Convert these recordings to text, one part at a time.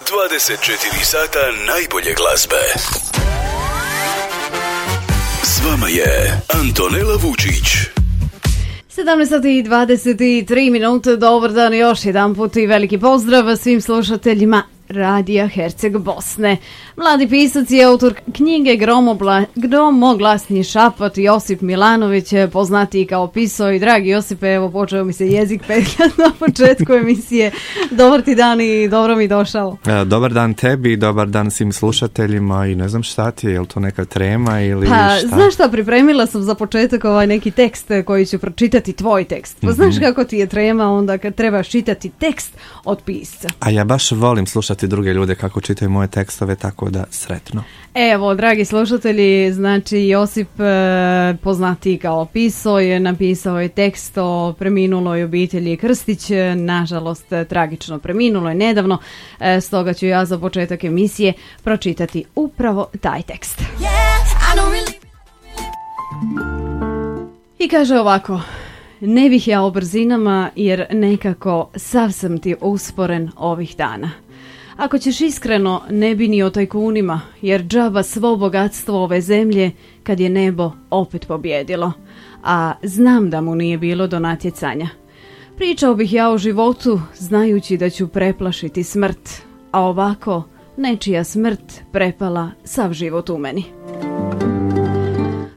24 sata najbolje glazbe. S vama je Antonela Vučić. 17:23. Dobar dan još jedan put i veliki pozdrav svim slušateljima Radija Herceg Bosne. Mladi pisac i autor knjige Gromoglasni šapat Josip Milanović, poznatiji kao Piso. I dragi Josipe, evo počeo mi se jezik petljati na početku emisije. Dobar ti dan i dobro mi došao. Dobar dan tebi, dobar dan svim slušateljima i ne znam šta ti je, je li to neka trema ili šta? Znaš šta, pripremila sam za početak neki tekst koji ću pročitati, tvoj tekst. Pa znaš kako ti je trema onda kad trebaš čitati tekst od pisca. A ja baš volim slušati druge ljude kako čitaju moje tekstove, tako da sretno. Evo, dragi slušatelji, znači Josip, poznatiji kao Piso, je napisao je tekst o preminuloj obitelji Krstić, nažalost tragično preminuloj nedavno, stoga ću ja za početak emisije pročitati upravo taj tekst. I kaže ovako: ne bih ja o brzinama jer nekako sav sam ti usporen ovih dana. Ako ćeš iskreno, ne bi ni o tajkunima, jer džaba svo bogatstvo ove zemlje kad je nebo opet pobjedilo. A znam da mu nije bilo do natjecanja. Pričao bih ja o životu, znajući da ću preplašiti smrt, a ovako nečija smrt prepala sav život u meni.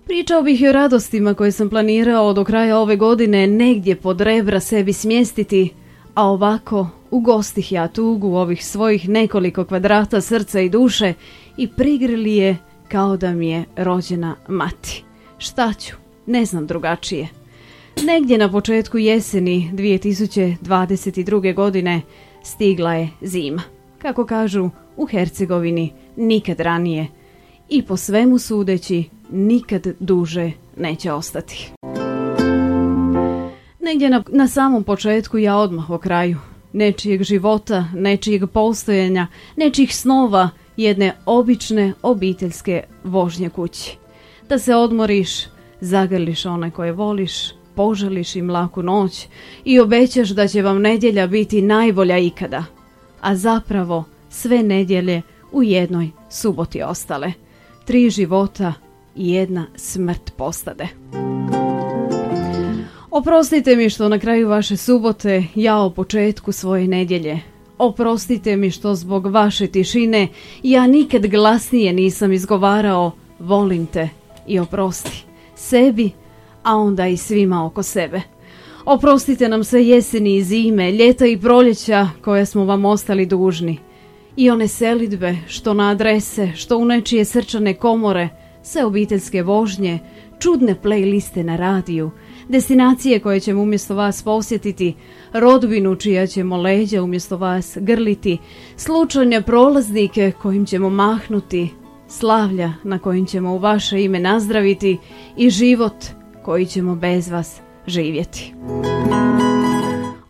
Pričao bih i o radostima koje sam planirao do kraja ove godine negdje pod rebra sebi smjestiti, a ovako ugostih ja tugu ovih svojih nekoliko kvadrata srca i duše i prigrili je kao da mi je rođena mati. Šta ću? Ne znam drugačije. Negdje na početku jeseni 2022. godine stigla je zima. Kako kažu u Hercegovini, nikad ranije. I po svemu sudeći, nikad duže neće ostati. Negdje na samom početku, ja odmah o kraju nečijeg života, nečijeg postojanja, nečijih snova, jedne obične obiteljske vožnje kući. Da se odmoriš, zagrliš one koje voliš, poželiš im laku noć i obećaš da će vam nedjelja biti najbolja ikada. A zapravo sve nedjelje u jednoj suboti ostale. 3 života i 1 smrt postade. Oprostite mi što na kraju vaše subote, ja o početku svoje nedjelje. Oprostite mi što zbog vaše tišine ja nikad glasnije nisam izgovarao volim te i oprosti sebi, a onda i svima oko sebe. Oprostite nam sve jeseni i zime, ljeta i proljeća koje smo vam ostali dužni. I one selidbe što na adrese, što u nečije srčane komore, sve obiteljske vožnje, čudne playliste na radiju, destinacije koje ćemo umjesto vas posjetiti, rodbinu čija ćemo leđa umjesto vas grliti, slučajne prolaznike kojim ćemo mahnuti, slavlja na kojim ćemo u vaše ime nazdraviti i život koji ćemo bez vas živjeti.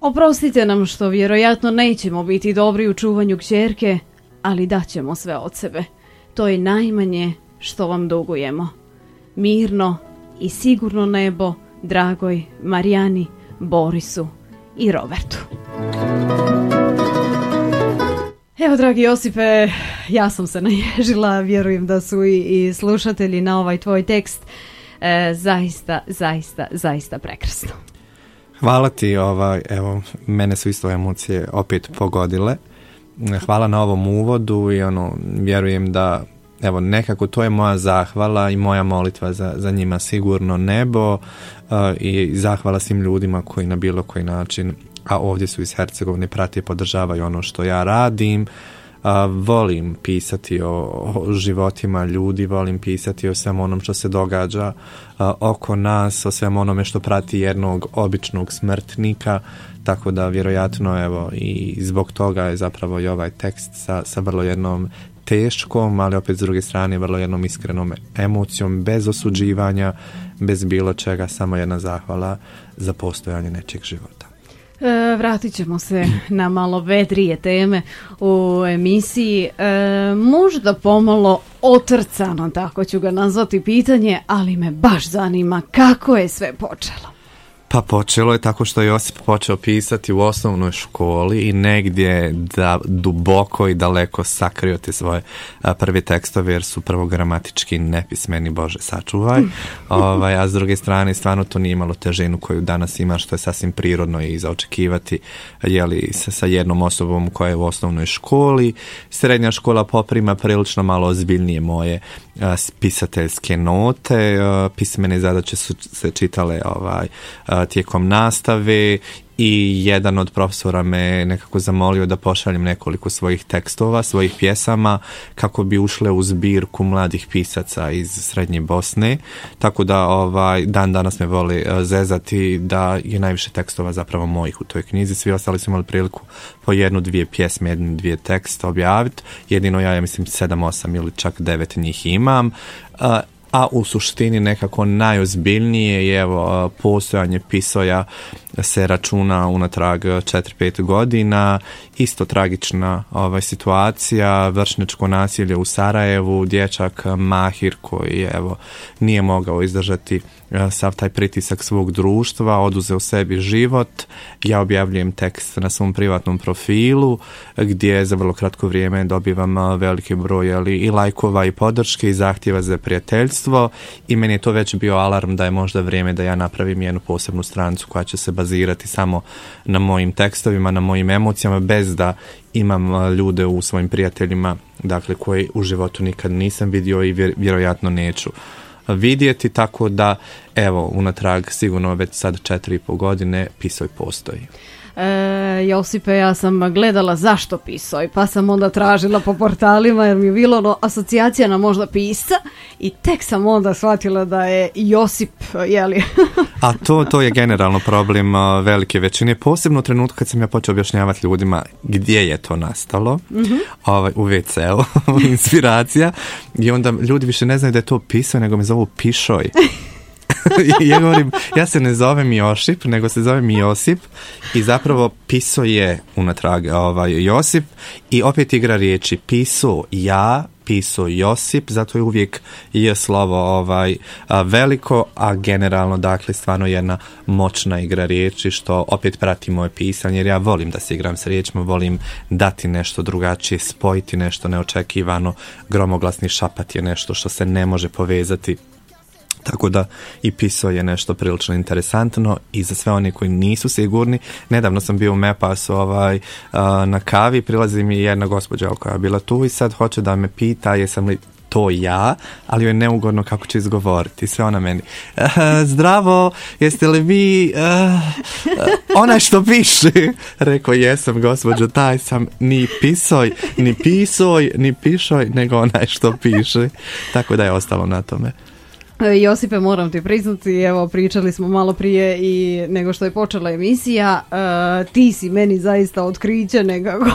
Oprostite nam što vjerojatno nećemo biti dobri u čuvanju kćerke, ali daćemo sve od sebe. To je najmanje što vam dugujemo. Mirno i sigurno nebo dragoj Marijani, Borisu i Robertu. Evo, dragi Josipe, ja sam se naježila, vjerujem da su i slušatelji na ovaj tvoj tekst. Zaista prekrasno. Hvala ti, evo, mene su isto emocije opet pogodile. Hvala na ovom uvodu i vjerujem da evo, nekako to je moja zahvala i moja molitva za njima sigurno nebo i zahvala svim ljudima koji na bilo koji način, a ovdje su iz Hercegovine, prate i podržavaju ono što ja radim. Volim pisati o životima ljudi, volim pisati o svem onom što se događa oko nas, o svem onome što prati jednog običnog smrtnika, tako da vjerojatno evo i zbog toga je zapravo i ovaj tekst sa vrlo jednom teškom, ali opet s druge strane vrlo jednom iskrenom emocijom, bez osuđivanja, bez bilo čega, samo jedna zahvala za postojanje nečeg života. Vratit ćemo se na malo vedrije teme u emisiji, možda pomalo otrcano, tako ću ga nazvati pitanje, ali me baš zanima kako je sve počelo. Pa počelo je tako što je Josip počeo pisati u osnovnoj školi i negdje da duboko i daleko sakrio te svoje prve tekstove jer su prvo gramatički nepismeni, Bože sačuvaj, a s druge strane stvarno to nije imalo težinu koju danas ima, što je sasvim prirodno i za očekivati sa jednom osobom koja je u osnovnoj školi. Srednja škola poprima prilično malo ozbiljnije moje pisateljske note, pismene zadaće su se čitale tijekom nastave i jedan od profesora me nekako zamolio da pošaljem nekoliko svojih tekstova, svojih pjesama kako bi ušle u zbirku mladih pisaca iz Srednje Bosne, tako da dan danas me voli zezati da je najviše tekstova zapravo mojih u toj knjizi, svi ostali su imali priliku po 1-2 pjesme, 1-2 teksta objaviti, jedino ja mislim 7-8 ili čak 9 njih imam, a u suštini nekako najozbiljnije je postojanje Pisoja se računa unatrag 4-5 godina, isto tragična situacija, vršnjačko nasilje u Sarajevu, dječak Mahir koji nije mogao izdržati sav taj pritisak svog društva, oduzeo sebi život. Ja objavljujem tekst na svom privatnom profilu gdje za vrlo kratko vrijeme dobivam veliki broj i lajkova i podrške i zahtjeva za prijateljstvo i meni je to već bio alarm da je možda vrijeme da ja napravim jednu posebnu stranicu koja će se bazirati samo na mojim tekstovima, na mojim emocijama, bez da imam ljude u svojim prijateljima, dakle koji u životu nikad nisam vidio i vjerojatno neću vidjeti, tako da unatrag sigurno već sad 4,5 godine Pisoj postoji. Josipe, ja sam gledala zašto Pisoj, pa sam onda tražila po portalima jer mi je bilo asocijacija na možda pisca i tek sam onda shvatila da je Josip, jeli? A to je generalno problem velike većine, posebno u trenutku kad sam ja počeo objašnjavati ljudima gdje je to nastalo, u WC-u, inspiracija, i onda ljudi više ne znaju da je to Pisoj, nego me zovu Pišoj. Ja govorim, ja se ne zovem Jošip, nego se zovem Josip i zapravo Piso je unatrag Josip i opet igra riječi Piso ja, Piso Josip, zato je uvijek je slovo veliko, a generalno dakle stvarno jedna moćna igra riječi što opet prati moje pisanje jer ja volim da se igram s riječima, volim dati nešto drugačije, spojiti nešto neočekivano, gromoglasni šapat je nešto što se ne može povezati. Tako da i Piso je nešto prilično interesantno i za sve oni koji nisu sigurni. Nedavno sam bio u Mepasu na kavi, prilazi mi jedna gospođa koja je bila tu i sad hoće da me pita jesam li to ja, ali joj je neugodno kako će izgovoriti. Sve ona meni, zdravo, jeste li vi onaj što piše? Rekao, jesam gospođo, taj sam, ni Pisoj, ni Pisoj, ni Pišoj, nego onaj što piše. Tako da je ostalo na tome. Josipe, moram ti priznati, evo pričali smo malo prije i nego što je počela emisija, ti si meni zaista otkriće nekako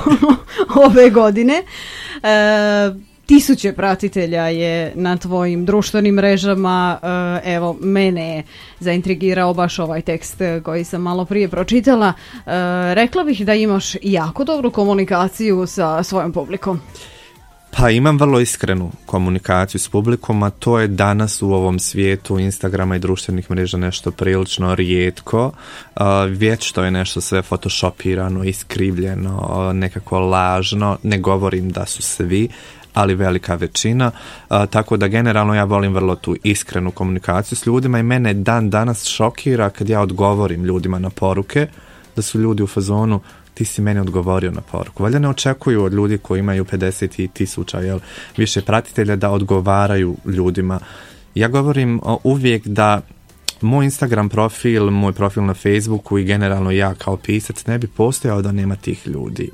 ove godine. 1000 pratitelja je na tvojim društvenim mrežama, evo mene je zaintrigirao baš ovaj tekst koji sam malo prije pročitala. Rekla bih da imaš jako dobru komunikaciju sa svojom publikom. Pa imam vrlo iskrenu komunikaciju s publikom, a to je danas u ovom svijetu Instagrama i društvenih mreža nešto prilično rijetko. Vječno je nešto sve photoshopirano, iskrivljeno, nekako lažno. Ne govorim da su svi, ali velika većina. Tako da generalno ja volim vrlo tu iskrenu komunikaciju s ljudima i mene dan danas šokira kad ja odgovorim ljudima na poruke, da su ljudi u fazonu ti si meni odgovorio na poruku. Valjda ne očekuju od ljudi koji imaju 50.000 više pratitelja da odgovaraju ljudima. Ja govorim uvijek da moj Instagram profil, moj profil na Facebooku i generalno ja kao pisac ne bi postojao da nema tih ljudi.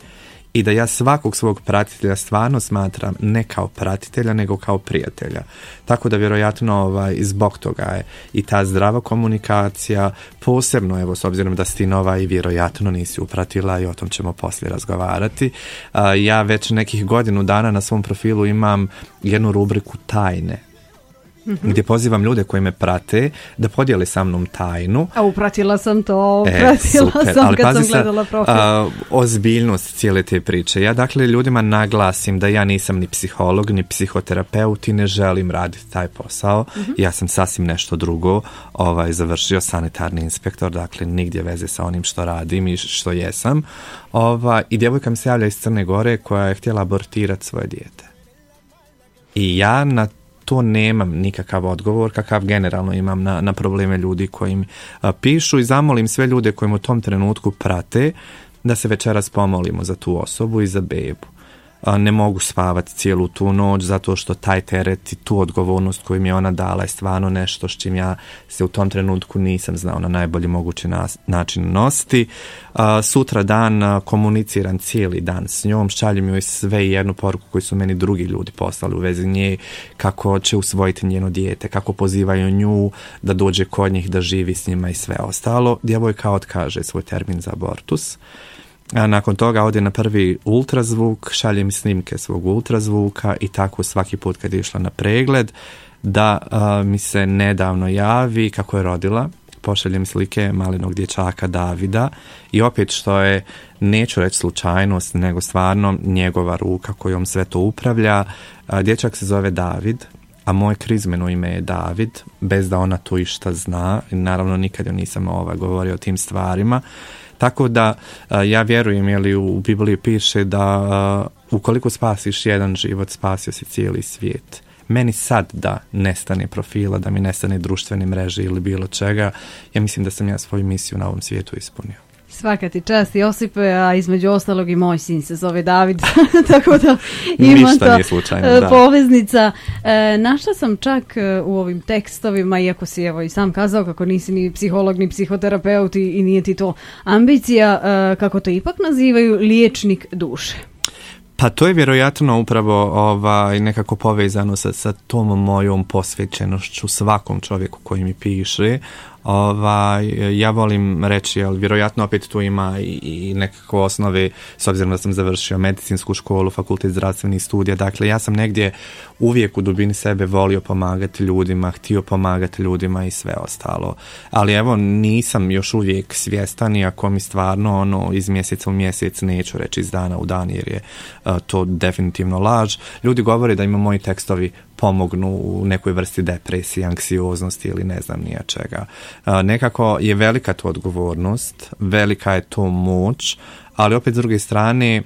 I da ja svakog svog pratitelja stvarno smatram ne kao pratitelja, nego kao prijatelja. Tako da vjerojatno zbog toga je i ta zdrava komunikacija, posebno evo s obzirom da si ti nova i vjerojatno nisi upratila i o tom ćemo poslije razgovarati. Ja već nekih godinu dana na svom profilu imam jednu rubriku tajne. gdje pozivam ljude koji me prate da podijele sa mnom tajnu. A upratila sam to, sam ali kad sam gledala profil. Ozbiljnost cijele te priče. Ja dakle ljudima naglasim da ja nisam ni psiholog, ni psihoterapeut i ne želim raditi taj posao. Ja sam sasvim nešto drugo, završio sanitarni inspektor, dakle nigdje veze sa onim što radim i što jesam. I djevojka mi se javlja iz Crne Gore koja je htjela abortirati svoje dijete. I ja na to nemam nikakav odgovor kakav generalno imam na probleme ljudi koji mi pišu i zamolim sve ljude koji u tom trenutku prate da se večeras pomolimo za tu osobu i za bebu. Ne mogu spavati cijelu tu noć zato što taj teret i tu odgovornost koju mi je ona dala je stvarno nešto s čim ja se u tom trenutku nisam znao na najbolji mogući način nositi. Sutra dan komuniciram cijeli dan s njom, šaljem joj sve jednu poruku koju su meni drugi ljudi poslali u vezi nje, kako će usvojiti njeno dijete, kako pozivaju nju da dođe kod njih, da živi s njima i sve ostalo. Djevojka otkaže svoj termin za abortus. A nakon toga ode na prvi ultrazvuk, šalje mi snimke svog ultrazvuka i tako svaki put kad je išla na pregled da mi se nedavno javi kako je rodila. Pošaljem slike malenog dječaka Davida i opet što je, neću reći slučajnost, nego stvarno njegova ruka kojom sve to upravlja. Dječak se zove David, a moje krizmeno ime je David, bez da ona to išta zna. I naravno nikad joj nisam govorio o tim stvarima. Tako da ja vjerujem, jer u Bibliji piše da ukoliko spasiš jedan život, spasio si cijeli svijet. Meni sad da nestane profila, da mi nestane društvene mreže ili bilo čega, ja mislim da sam ja svoju misiju na ovom svijetu ispunio. Svaka ti čast, Josipe, a između ostalog i moj sin se zove David, tako da ima to poveznica. Našla sam čak u ovim tekstovima, iako si evo i sam kazao kako nisi ni psiholog ni psihoterapeut i nije ti to ambicija, kako to ipak nazivaju liječnik duše. Pa to je vjerojatno upravo nekako povezano sa tom mojom posvećenošću svakom čovjeku koji mi piše. Ja volim reći, ali vjerojatno opet tu ima i nekako osnove, s obzirom da sam završio medicinsku školu, fakultet zdravstvenih studija, dakle ja sam negdje uvijek u dubini sebe volio pomagati ljudima, htio pomagati ljudima i sve ostalo. Ali evo, nisam još uvijek svjestan, iako mi stvarno iz mjeseca u mjesec, neću reći iz dana u dan, jer je to definitivno laž. Ljudi govore da ima moji tekstovi pomognu u nekoj vrsti depresije, anksioznosti ili ne znam nija čega. Nekako je velika to odgovornost, velika je to moć, ali opet s druge strane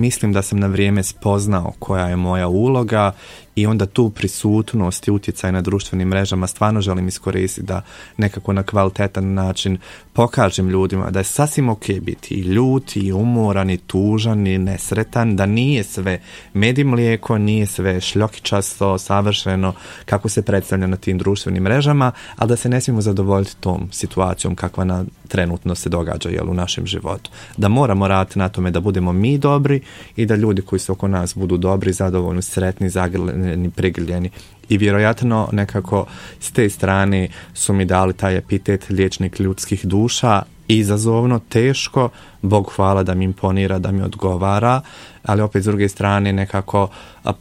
mislim da sam na vrijeme spoznao koja je moja uloga i onda tu prisutnost i utjecaj na društvenim mrežama stvarno želim iskoristiti da nekako na kvalitetan način pokažem ljudima da je sasvim ok biti i ljut, i umoran, i tužan, i nesretan, da nije sve med i mlijeko, nije sve šljokičasto, savršeno kako se predstavlja na tim društvenim mrežama, ali da se ne smijemo zadovoljiti tom situacijom kakva trenutno se događa u našem životu. Da moramo raditi na tome da budemo mi dobri i da ljudi koji su oko nas budu dobri, zadovoljni, sretni, zagrljeni, prigrljeni. I vjerojatno nekako s te strane su mi dali taj epitet liječnik ljudskih duša, izazovno, teško, Bog hvala da mi imponira, da mi odgovara, ali opet s druge strane nekako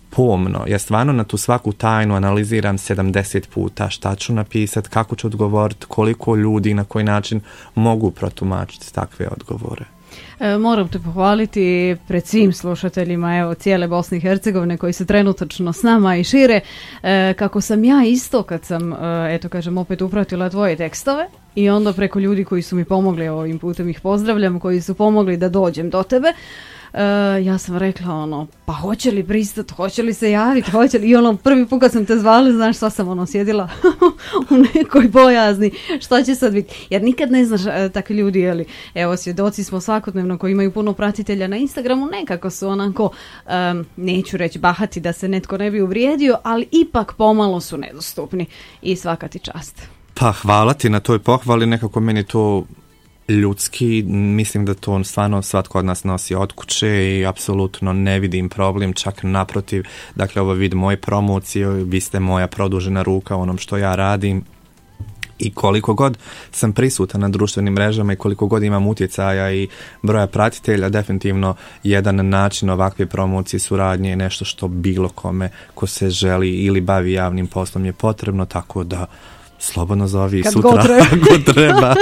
pomno. Ja stvarno na tu svaku tajnu analiziram 70 puta šta ću napisati, kako ću odgovoriti, koliko ljudi i na koji način mogu protumačiti takve odgovore. Moram te pohvaliti pred svim slušateljima cijele Bosne i Hercegovine koji se trenutačno s nama i šire, kako sam ja isto kad sam opet upratila tvoje tekstove i onda preko ljudi koji su mi pomogli, ovim putem ih pozdravljam, koji su pomogli da dođem do tebe. Ja sam rekla pa hoće li pristat, hoće li se javiti, hoće li, i prvi put kad sam te zvala, znaš, sva sam sjedila u nekoj bojazni, šta će sad biti, jer nikad ne znaš takvi ljudi, evo svjedoci smo svakodnevno koji imaju puno pratitelja na Instagramu, nekako su onako, neću reći bahati da se netko ne bi uvrijedio, ali ipak pomalo su nedostupni i svaka ti čast. Pa hvala ti na toj pohvali, nekako meni to ljudski, mislim da to stvarno svatko od nas nosi od kuće i apsolutno ne vidim problem, čak naprotiv, dakle ovo vid moje promocije, vi ste moja produžena ruka u onom što ja radim I koliko god sam prisutan na društvenim mrežama i koliko god imam utjecaja i broja pratitelja, definitivno jedan način ovakve promocije, suradnje je nešto što bilo kome ko se želi ili bavi javnim poslom je potrebno, tako da slobodno zovi kad sutra ako treba.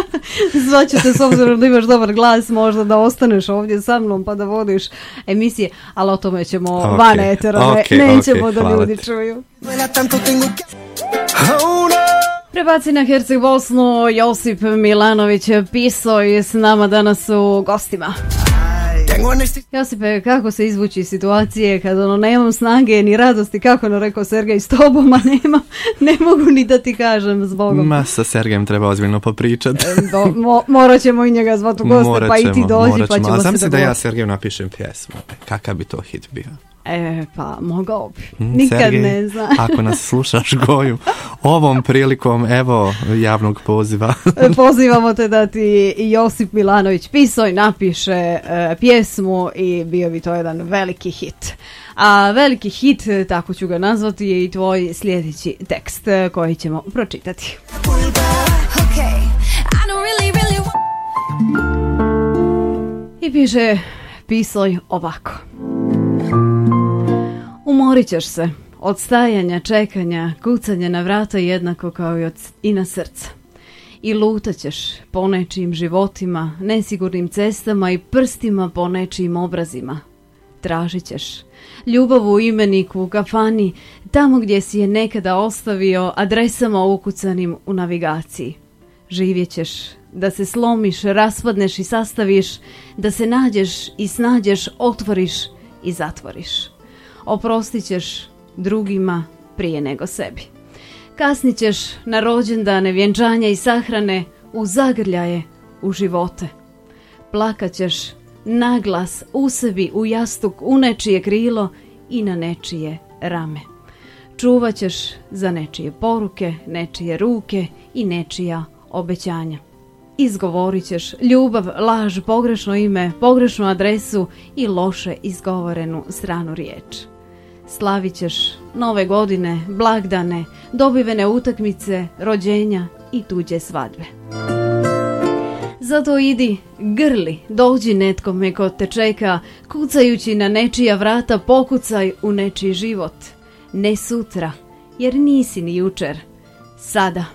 Zvaćete, s obzirom da imaš dobar glas, možda da ostaneš ovdje sa mnom pa da vodiš emisije, ali o tome ćemo van etera, nećemo da ljudi čuju. Prebaci na Herceg Bosnu, Josip Milanović Piso je s nama danas u gostima. Josipe, kako se izvući iz situacije kad nemam snage ni radosti, kako rekao Sergej, s tobom, a ne mogu ni da ti kažem zbogom. Ma, sa Sergejem treba ozbiljno popričati. Morat ćemo i njega zvati u goste, pa i ti dođi, pa ćemo se dogovoriti. Da ja Sergeju napišem pjesmu, kakav bi to hit bio? Pa mogao bi. Nikad Sergej, ne znam. Ako nas slušaš, Goju, ovom prilikom, evo, javnog poziva. Pozivamo te da ti Josip Milanović Pisoj napiše pjesmu i bio bi to jedan veliki hit. A veliki hit, tako ću ga nazvati, je i tvoj sljedeći tekst koji ćemo pročitati. I piše Pisoj ovako. Umorit ćeš se od stajanja, čekanja, kucanja na vrata jednako kao i na srca. I lutat ćeš po nečijim životima, nesigurnim cestama i prstima po nečijim obrazima. Tražit ćeš ljubav u imeniku, u kafani, tamo gdje si je nekada ostavio, adresama ukucanim u navigaciji. Živjet ćeš da se slomiš, raspadneš i sastaviš, da se nađeš i snađeš, otvoriš i zatvoriš. Oprostit ćeš drugima prije nego sebi. Kasnit ćeš na rođendane, vjenčanja i sahrane, u zagrljaje, u živote. Plakat ćeš naglas u sebi, u jastuk, u nečije krilo i na nečije rame. Čuvat ćeš za nečije poruke, nečije ruke i nečija obećanja. Izgovorit ćeš ljubav, laž, pogrešno ime, pogrešnu adresu i loše izgovorenu stranu riječ. Slavit ćeš nove godine, blagdane, dobivene utakmice, rođenja i tuđe svadbe. Zato idi, grli, dođi netkome ko te čeka, kucajući na nečija vrata, pokucaj u nečiji život. Ne sutra, jer nisi ni jučer. Sada.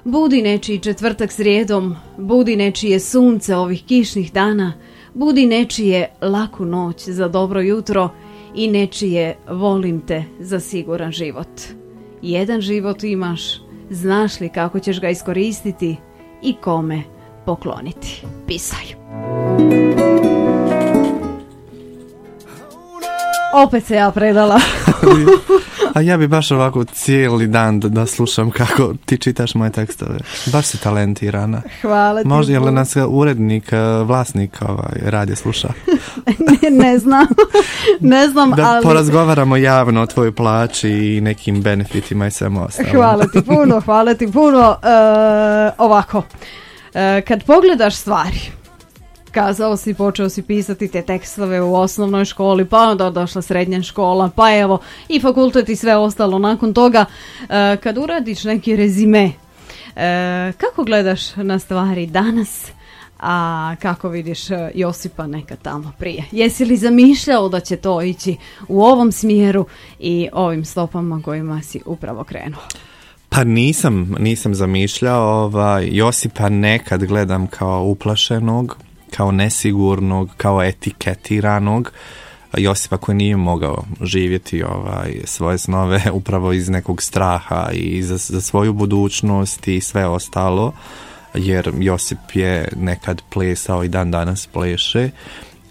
Budi nečiji četvrtak srijedom, budi nečije sunce ovih kišnih dana, budi nečije laku noć za dobro jutro i nečije volim te za siguran život. Jedan život imaš, znaš li kako ćeš ga iskoristiti i kome pokloniti. Pisaj. Opet se ja predala. A ja bi baš ovako cijeli dan da slušam kako ti čitaš moje tekstove. Baš si talentirana. Hvala ti. Može li nas urednik, vlasnik radije sluša? Ne znam, da ali... porazgovaramo javno o tvojoj plaći i nekim benefitima i svemu ostalom. Hvala ti puno. Ovako, kad pogledaš stvari, kazao si, počeo si pisati te tekstove u osnovnoj školi, pa onda došla srednja škola, pa evo i fakultet i sve ostalo nakon toga. Kad uradiš neki rezime, kako gledaš na stvari danas, a kako vidiš Josipa nekad tamo prije? Jesi li zamišljao da će to ići u ovom smjeru i ovim stopama kojima si upravo krenuo? Pa nisam zamišljao. Josipa nekad gledam kao uplašenog, kao nesigurnog, kao etiketiranog Josipa koji nije mogao živjeti svoje snove upravo iz nekog straha i za svoju budućnost i sve ostalo, jer Josip je nekad plesao i dan danas pleše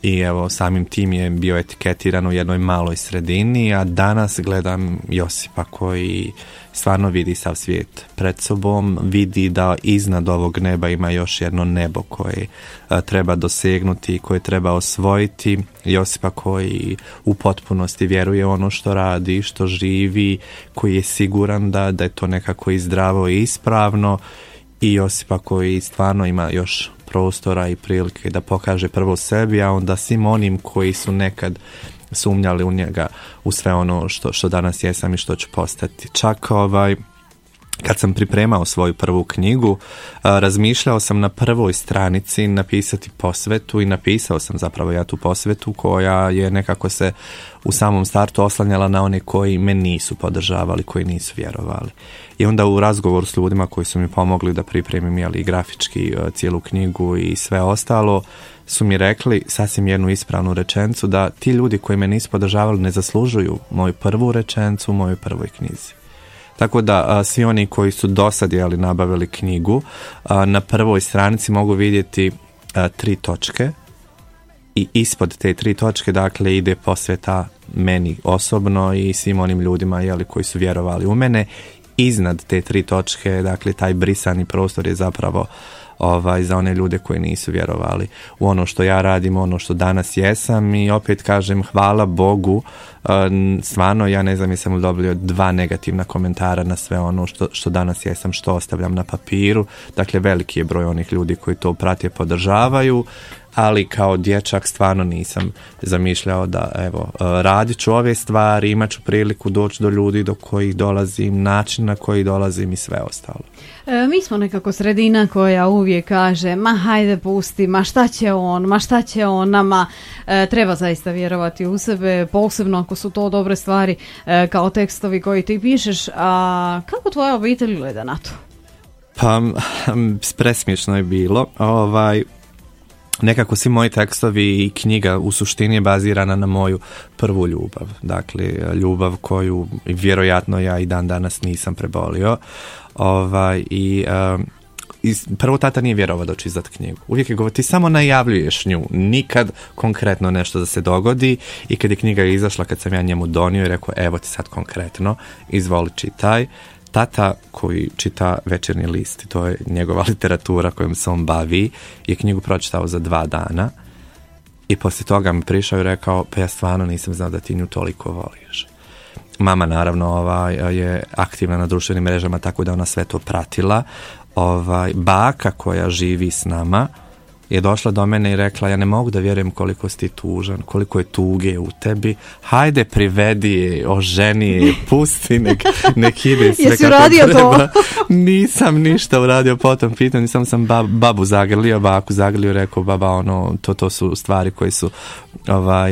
i evo samim tim je bio etiketiran u jednoj maloj sredini, a danas gledam Josipa koji stvarno vidi sav svijet pred sobom, vidi da iznad ovog neba ima još jedno nebo koje treba dosegnuti, koje treba osvojiti. Josipa koji u potpunosti vjeruje ono što radi, što živi, koji je siguran da je to nekako i zdravo i ispravno, i Josipa koji stvarno ima još prostora i prilike da pokaže prvo sebi, a onda svim onim koji su nekad sumnjali u njega, u sve ono što danas jesam i što ću postati. Čak kad sam pripremao svoju prvu knjigu, razmišljao sam na prvoj stranici napisati posvetu i napisao sam zapravo ja tu posvetu koja je nekako se u samom startu oslanjala na one koji me nisu podržavali, koji nisu vjerovali. I onda u razgovoru s ljudima koji su mi pomogli da pripremim i grafički cijelu knjigu i sve ostalo, su mi rekli sasvim jednu ispravnu rečenicu da ti ljudi koji me nisu podržavali ne zaslužuju moju prvu rečenicu u mojoj prvoj knjizi. Tako da svi oni koji su dosad nabavili knjigu, na prvoj stranici mogu vidjeti 3 točke i ispod te 3 točke dakle ide posveta meni osobno i svim onim ljudima koji su vjerovali u mene. Iznad te 3 točke, dakle taj brisani prostor je zapravo za one ljude koji nisu vjerovali u ono što ja radim, ono što danas jesam. I opet kažem, hvala Bogu, stvarno ja ne znam jesam li dobio 2 negativna komentara na sve ono što danas jesam, što ostavljam na papiru. Dakle, veliki je broj onih ljudi koji to prate, podržavaju, ali kao dječak stvarno nisam zamišljao da radit ću ove stvari, imat ću priliku doći do ljudi do kojih dolazim, način na koji dolazim i sve ostalo. Mi smo nekako sredina koja uvijek kaže ma hajde pusti, ma šta će on nama. Treba zaista vjerovati u sebe, posebno ako su to dobre stvari kao tekstovi koji ti pišeš. A kako tvoja obitelj gleda na to? Pa presmiješno je bilo. Nekako svi moji tekstovi i knjiga u suštini je bazirana na moju prvu ljubav. Dakle, ljubav koju vjerojatno ja i dan danas nisam prebolio. Prvo tata nije vjerovao da ću izdat knjigu. Uvijek je govorio, ti samo najavljuješ nju, nikad konkretno nešto da se dogodi. I kad je knjiga izašla, kad sam ja njemu donio i rekao, evo ti sad konkretno, izvoli čitaj. Tata koji čita Večernji list, to je njegova literatura kojom se on bavi, je knjigu pročitao za 2 dana i poslije toga mi prišao i rekao, pa ja stvarno nisam znao da ti nju toliko voliš. Mama naravno je aktivna na društvenim mrežama, tako da ona sve to pratila. Baka koja živi s nama je došla do mene i rekla, ja ne mogu da vjerujem koliko si ti tužan, koliko je tuge u tebi, hajde privedi je, oženi je, pusti, nek ide sve Jesi kako uradio treba. to? Nisam ništa uradio po tom pitanju, samo sam babu zagrlio, baku zagrlio, rekao, baba, to su stvari koje su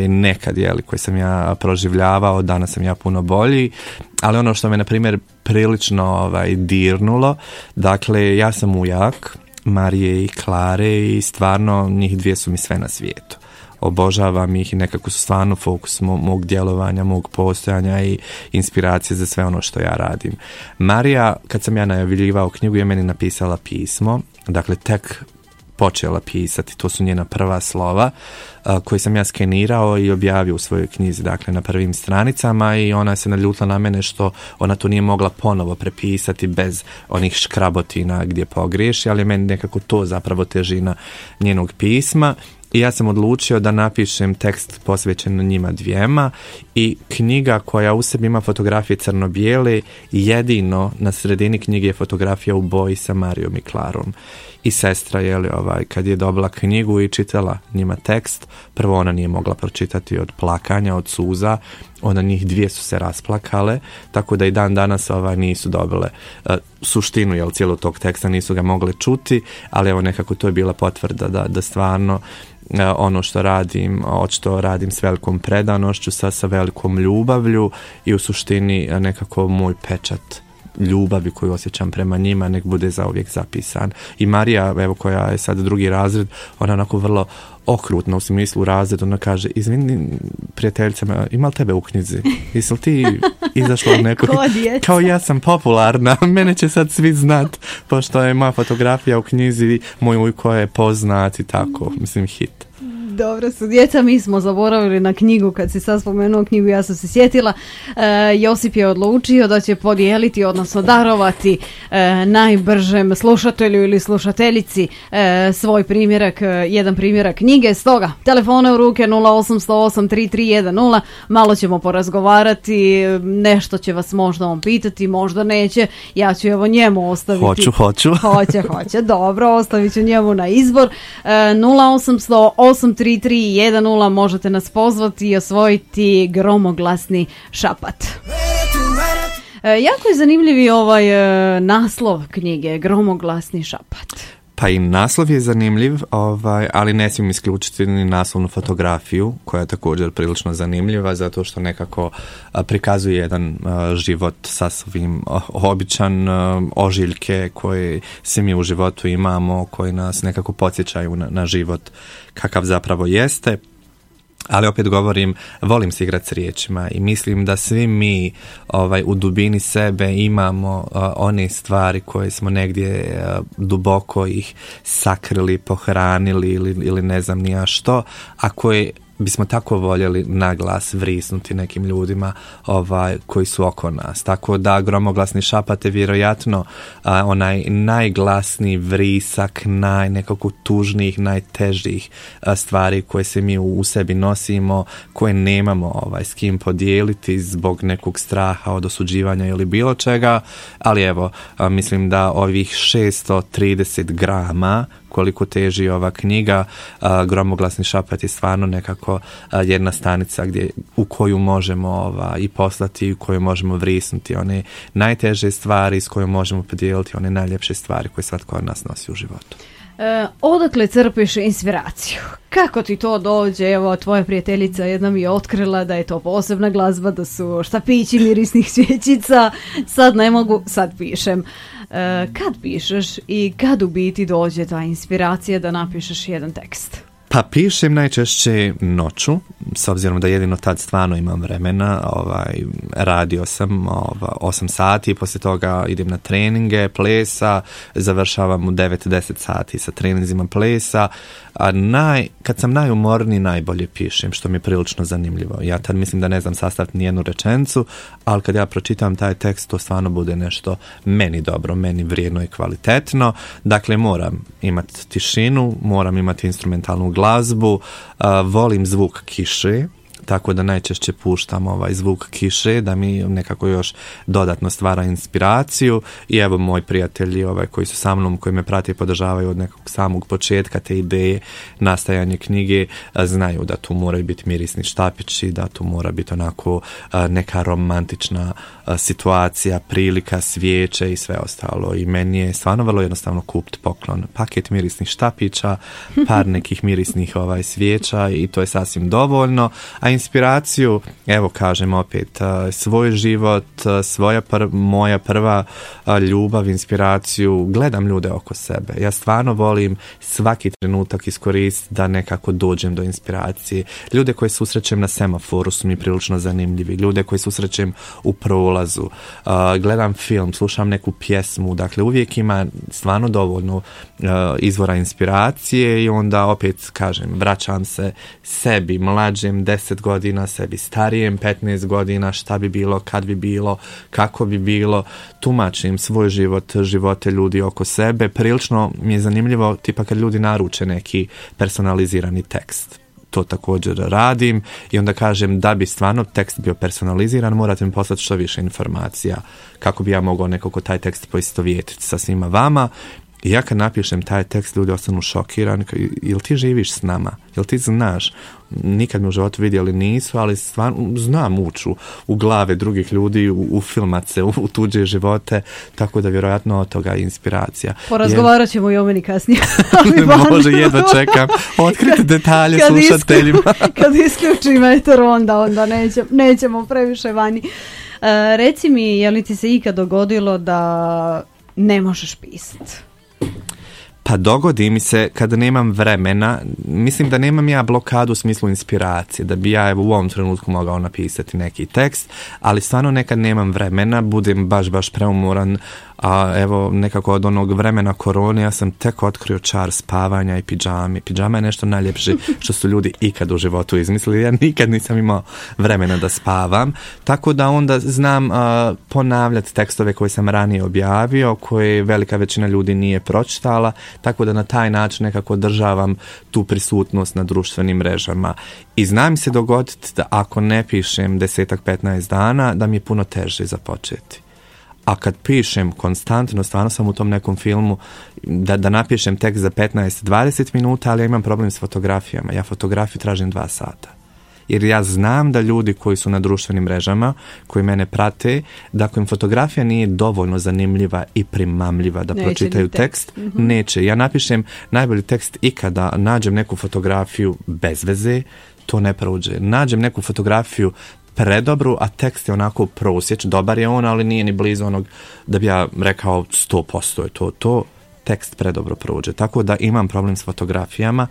nekad, koje sam ja proživljavao, danas sam ja puno bolji, ali ono što me, na primjer, prilično dirnulo, dakle, ja sam ujak Marije i Klare i stvarno njih dvije su mi sve na svijetu. Obožavam ih i nekako su stvarno fokus mog djelovanja, mog postojanja i inspiracije za sve ono što ja radim. Marija, kad sam ja najavljivao knjigu, je meni napisala pismo, dakle tek počela pisati, to su njena prva slova koje sam ja skenirao i objavio u svojoj knjizi, dakle na prvim stranicama, i ona se naljutila na mene što ona to nije mogla ponovo prepisati bez onih škrabotina gdje pogriješi, ali meni nekako to zapravo težina njenog pisma. I ja sam odlučio da napišem tekst posvećen njima dvijema i knjiga koja u sebi ima fotografije crno-bijele, jedino na sredini knjige je fotografija u boji sa Marijom i Klarom. I sestra kad je dobila knjigu i čitala njima tekst, prvo ona nije mogla pročitati od plakanja, od suza, onda njih dvije su se rasplakale, tako da i dan danas nisu dobile suštinu cijelog tog teksta, nisu ga mogle čuti, ali nekako to je bila potvrda da stvarno ono što radim, očito radim s velikom predanošću, sa velikom ljubavlju i u suštini nekako moj pečat ljubavi koju osjećam prema njima nek bude zauvijek zapisan. I Marija, koja je sad 2. razred, ona onako vrlo okrutno u smislu razred, ona kaže, izvini prijateljicama, ima li tebe u knjizi? Jesi li ti izašla od nekog? Kao ja sam popularna, mene će sad svi znat, pošto je moja fotografija u knjizi, moj ujko je poznat i tako, mislim hit. Dobro su djeca, mi smo zaboravili na knjigu, kad si sad spomenuo knjigu ja sam se sjetila. Josip je odlučio da će podijeliti, odnosno darovati najbržem slušatelju ili slušateljici svoj primjerak, jedan primjerak knjige. Stoga, telefone u ruke 0808 3310, malo ćemo porazgovarati, nešto će vas možda on pitati, možda neće, ja ću evo njemu ostaviti. Hoću. Hoće, dobro, ostavit ću njemu na izbor. 0808 3310, možete nas pozvati i osvojiti gromoglasni šapat. Jako je zanimljiv naslov knjige, Gromoglasni šapat. Pa i naslov je zanimljiv, ali ne smijem isključiti ni naslovnu fotografiju, koja je također prilično zanimljiva, zato što nekako prikazuje jedan život sasvim običan, ožiljke koje svi mi u životu imamo, koji nas nekako podsjećaju na život kakav zapravo jeste. Ali opet govorim, volim se igrati s riječima i mislim da svi mi u dubini sebe imamo one stvari koje smo negdje duboko ih sakrili, pohranili ili ne znam ni ja što, a koje bismo tako voljeli naglas vrisnuti nekim ljudima koji su oko nas. Tako da gromoglasni šapat je vjerojatno onaj najglasniji vrisak nekako tužnijih, najtežih stvari koje se mi u sebi nosimo, koje nemamo s kim podijeliti zbog nekog straha od osuđivanja ili bilo čega, ali evo, mislim da ovih 630 grama koliko teži ova knjiga, Gromoglasni šapat je stvarno nekako jedna stanica u koju možemo i poslati, u koju možemo vrisnuti one najteže stvari, s kojom možemo podijeliti one najljepše stvari koje svatko od nas nosi u životu. Odakle crpiš inspiraciju? Kako ti to dođe? Evo, tvoja prijateljica jedna mi je otkrila da je to posebna glazba, da su štapići mirisnih svjećica. Sad ne mogu, sad pišem. Kad pišeš i kad u biti dođe ta inspiracija da napišeš jedan tekst? Pa pišem najčešće noću, s obzirom da jedino tad stvarno imam vremena. Radio sam 8 sati, poslije toga idem na treninge plesa, završavam u 9-10 sati sa treninzima plesa. Kad sam najumorniji, najbolje pišem, što mi je prilično zanimljivo. Ja tad mislim da ne znam sastaviti nijednu rečenicu, ali kad ja pročitam taj tekst, to stvarno bude nešto meni dobro, meni vrijedno i kvalitetno. Dakle, moram imati tišinu, moram imati instrumentalnu glazbu, volim zvuk kiše, tako da najčešće puštam zvuk kiše da mi nekako još dodatno stvara inspiraciju. I evo, moji prijatelji koji su sa mnom, koji me prate i podržavaju od nekog samog početka te ideje nastajanje knjige, znaju da tu moraju biti mirisni štapići, da tu mora biti onako neka romantična situacija, prilika, svijeće i sve ostalo. I meni je stvarno vrlo jednostavno kupiti poklon, paket mirisnih štapića, par nekih mirisnih svijeća i to je sasvim dovoljno. A inspiraciju, evo kažem opet, svoj život, moja prva ljubav, inspiraciju, gledam ljude oko sebe. Ja stvarno volim svaki trenutak iskoristiti da nekako dođem do inspiracije. Ljude koje susrećem na semaforu su mi prilično zanimljivi. Ljude koje susrećem u prolazu. Gledam film, slušam neku pjesmu. Dakle, uvijek ima stvarno dovoljno izvora inspiracije i onda opet kažem, vraćam se sebi mlađem 10 godina, sebi starijem 15 godina, šta bi bilo, kad bi bilo, kako bi bilo, tumačim svoj život, živote ljudi oko sebe. Prilično mi je zanimljivo tipa kad ljudi naruče neki personalizirani tekst. To također radim i onda kažem da bi stvarno tekst bio personaliziran, morate mi poslati što više informacija kako bi ja mogao nekako taj tekst poistovjetiti sa svima vama. I ja kad napišem taj tekst, ljudi ostanu šokirani. Jel ti živiš s nama? Jel ti znaš? Nikad me u životu vidjeli nisu, ali stvarno znam ući u glave drugih ljudi, u filmace, u tuđe živote, tako da vjerojatno od toga je inspiracija. Porazgovarat ćemo i o meni kasnije. Može, jedva čekam. Otkrite detalje slušateljima. Kad isključim eter, onda nećemo previše vani. Reci mi, je li ti se ikad dogodilo da ne možeš pisati? Pa dogodi mi se kada nemam vremena, mislim da nemam ja blokadu u smislu inspiracije, da bi ja u ovom trenutku mogao napisati neki tekst, ali stvarno nekad nemam vremena, budem baš preumoran, a evo nekako od onog vremena korone ja sam tek otkrio čar spavanja i pidžame. Pidžama je nešto najljepše što su ljudi ikad u životu izmislili. Ja nikad nisam imao vremena da spavam, tako da onda znam ponavljati tekstove koje sam ranije objavio, koje velika većina ljudi nije pročitala, tako da na taj način nekako održavam tu prisutnost na društvenim mrežama. I znam se dogoditi da ako ne pišem 10-15 dana, da mi je puno teže započeti. A kad pišem konstantno, stvarno sam u tom nekom filmu da napišem tekst za 15-20 minuta, ali ja imam problem s fotografijama. Ja fotografiju tražim 2 sata. jer ja znam da ljudi koji su na društvenim mrežama, koji mene prate, da ako im fotografija nije dovoljno zanimljiva i primamljiva da pročitaju tekst, neće. Ja napišem najbolji tekst ikada, nađem neku fotografiju bez veze, to ne prođe. Nađem neku fotografiju predobru, a tekst je onako prosjeć, dobar je on, ali nije ni blizu onog da bi ja rekao 100% je to tekst predobro prođe. Tako da imam problem s fotografijama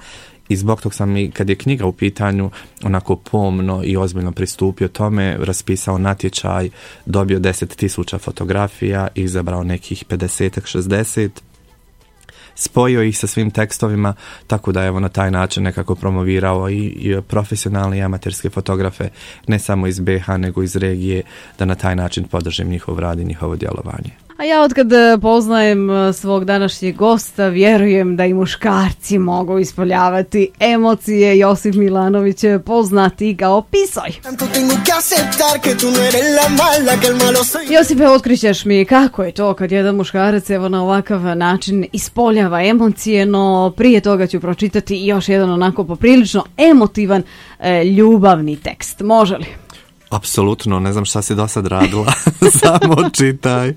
i zbog tog sam i kad je knjiga u pitanju onako pomno i ozbiljno pristupio tome, raspisao natječaj, dobio 10.000 fotografija, izabrao nekih 50-60, spojio ih sa svim tekstovima, tako da evo na taj način nekako promovirao i profesionalne i amaterske fotografe, ne samo iz BiH nego iz regije, da na taj način podržim njihov rad i njihovo djelovanje. A ja otkad poznajem svog današnjeg gosta, vjerujem da i muškarci mogu ispoljavati emocije. Josip Milanović je poznati kao Pisoj. Josipe, otkrićeš mi kako je to kad jedan muškarac evo na ovakav način ispoljava emocije, no prije toga ću pročitati još jedan onako poprilično emotivan ljubavni tekst. Može li? Apsolutno, ne znam šta si do sad radila, samo čitaj.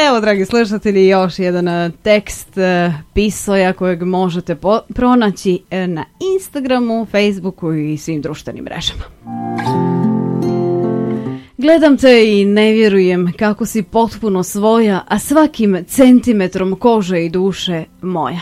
Evo, dragi slušatelji, još jedan tekst Pisoja kojeg možete pronaći na Instagramu, Facebooku i svim društvenim mrežama. Gledam te i ne vjerujem kako si potpuno svoja, a svakim centimetrom kože i duše moja.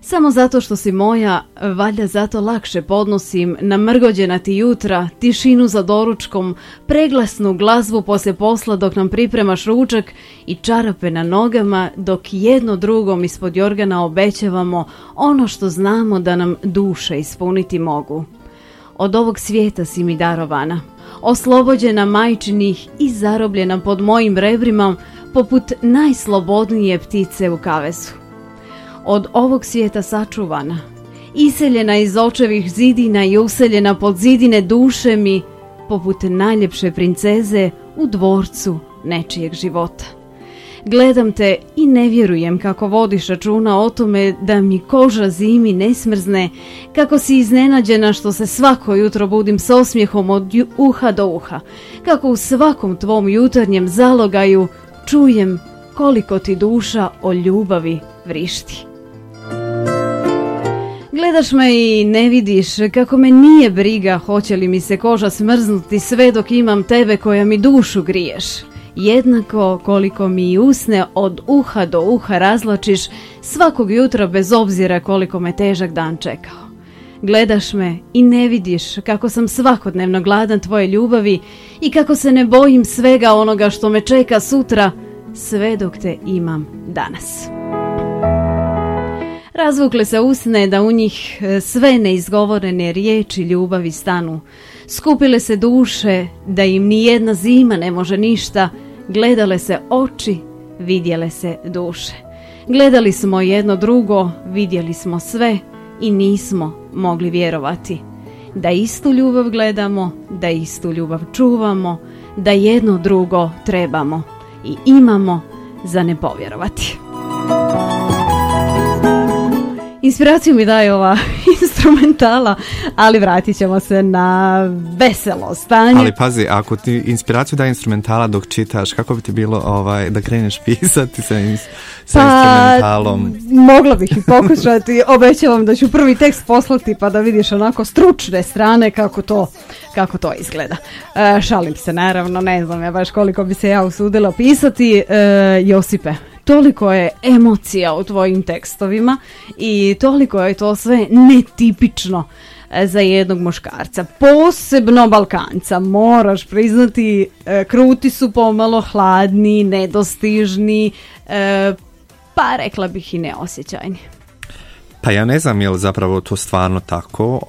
Samo zato što si moja, valjda zato lakše podnosim namrgođena ti jutra, tišinu za doručkom, preglasnu glazbu poslije posla dok nam pripremaš ručak i čarape na nogama dok jedno drugom ispod jorgana obećavamo ono što znamo da nam duše ispuniti mogu. Od ovog svijeta si mi darovana, oslobođena majčinih i zarobljena pod mojim rebrima poput najslobodnije ptice u kavezu. Od ovog svijeta sačuvana, iseljena iz očevih zidina i useljena pod zidine duše mi, poput najljepše princeze u dvorcu nečijeg života. Gledam te i ne vjerujem kako vodiš računa o tome da mi koža zimi ne smrzne, kako si iznenađena što se svako jutro budim s osmijehom od uha do uha, kako u svakom tvom jutarnjem zalogaju čujem koliko ti duša o ljubavi vrišti. Gledaš me i ne vidiš kako me nije briga hoće li mi se koža smrznuti sve dok imam tebe koja mi dušu griješ. Jednako koliko mi i usne od uha do uha razlačiš svakog jutra bez obzira koliko me težak dan čekao. Gledaš me i ne vidiš kako sam svakodnevno gladan tvoje ljubavi i kako se ne bojim svega onoga što me čeka sutra sve dok te imam danas. Razvukle se usne da u njih sve neizgovorene riječi ljubavi stanu. Skupile se duše da im ni jedna zima ne može ništa. Gledale se oči, vidjele se duše. Gledali smo jedno drugo, vidjeli smo sve i nismo mogli vjerovati. Da istu ljubav gledamo, da istu ljubav čuvamo, da jedno drugo trebamo i imamo za ne povjerovati. Inspiraciju mi daje ova instrumentala, ali vratit ćemo se na veselo stanje. Ali pazi, ako ti inspiraciju daje instrumentala dok čitaš, kako bi ti bilo da kreneš pisati sa instrumentalom? Mogla bih i pokušati, obećavam da ću prvi tekst poslati pa da vidiš onako stručne strane kako to izgleda. Šalim se, naravno, ne znam ja baš koliko bi se ja usudila pisati. Josipe, toliko je emocija u tvojim tekstovima i toliko je to sve netipično za jednog muškarca. Posebno Balkanca, moraš priznati, kruti su pomalo, hladni, nedostižni, pa rekla bih i neosjećajni. Pa ja ne znam je li zapravo to stvarno tako,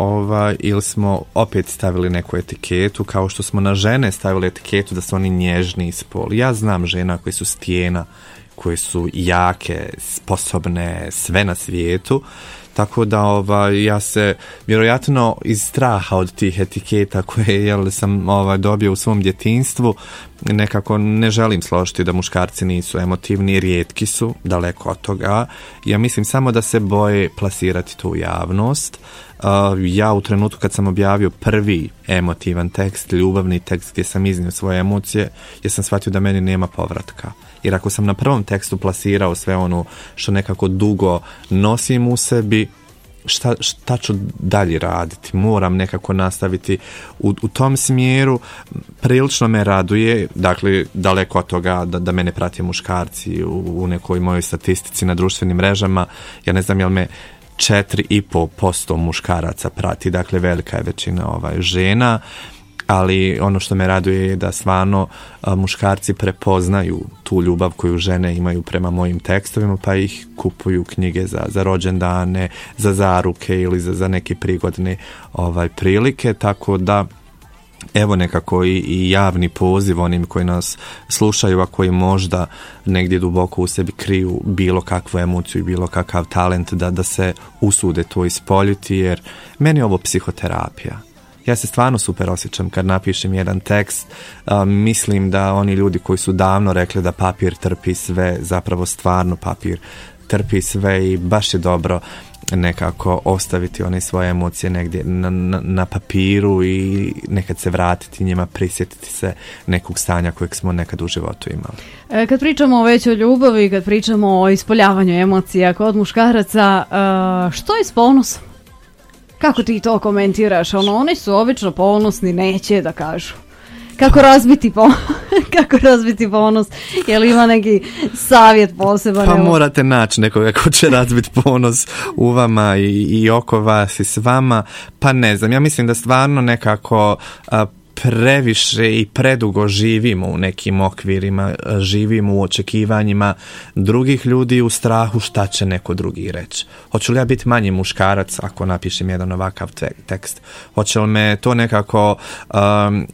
ili smo opet stavili neku etiketu, kao što smo na žene stavili etiketu da su oni nježni ispol. Ja znam žena koji su stijena, koje su jake, sposobne, sve na svijetu, tako da ja se vjerojatno iz straha od tih etiketa koje sam dobio u svom djetinjstvu nekako ne želim složiti da muškarci nisu emotivni, rijetki su, daleko od toga. Ja mislim samo da se boje plasirati tu javnost, Ja u trenutku kad sam objavio prvi emotivan tekst, ljubavni tekst gdje sam iznio svoje emocije, jer sam shvatio da meni nema povratka. Jer ako sam na prvom tekstu plasirao sve ono što nekako dugo nosim u sebi, šta ću dalje raditi? Moram nekako nastaviti u tom smjeru. Prilično me raduje, dakle, daleko od toga da mene prate muškarci u nekoj mojoj statistici na društvenim mrežama. Ja ne znam jel me 4,5% muškaraca prati, dakle velika je većina žena, ali ono što me raduje je da stvarno muškarci prepoznaju tu ljubav koju žene imaju prema mojim tekstovima, pa ih kupuju knjige za rođendane, za zaruke ili za neke prigodne prilike, tako da evo nekako i javni poziv onim koji nas slušaju, a koji možda negdje duboko u sebi kriju bilo kakvu emociju i bilo kakav talent, da se usude to ispoljiti, jer meni je ovo psihoterapija. Ja se stvarno super osjećam kad napišem jedan tekst. Mislim da oni ljudi koji su davno rekli da papir trpi sve, zapravo stvarno papir trpi sve i baš je dobro nekako ostaviti one svoje emocije negdje na papiru i nekad se vratiti njima, prisjetiti se nekog stanja kojeg smo nekad u životu imali. Kad pričamo već o ljubavi, kad pričamo o ispoljavanju emocija kod muškaraca, što je s ponosom? Kako ti to komentiraš? Oni su obično ponosni, neće da kažu. Kako razbiti ponos? Je li ima neki savjet poseban? Pa morate naći nekoga ko će razbiti ponos u vama i oko vas i s vama. Pa ne znam, ja mislim da stvarno nekako previše i predugo živimo u nekim okvirima, živimo u očekivanjima drugih ljudi, u strahu šta će neko drugi reći. Hoću li ja biti manji muškarac ako napišem jedan ovakav tekst? Hoće li me to nekako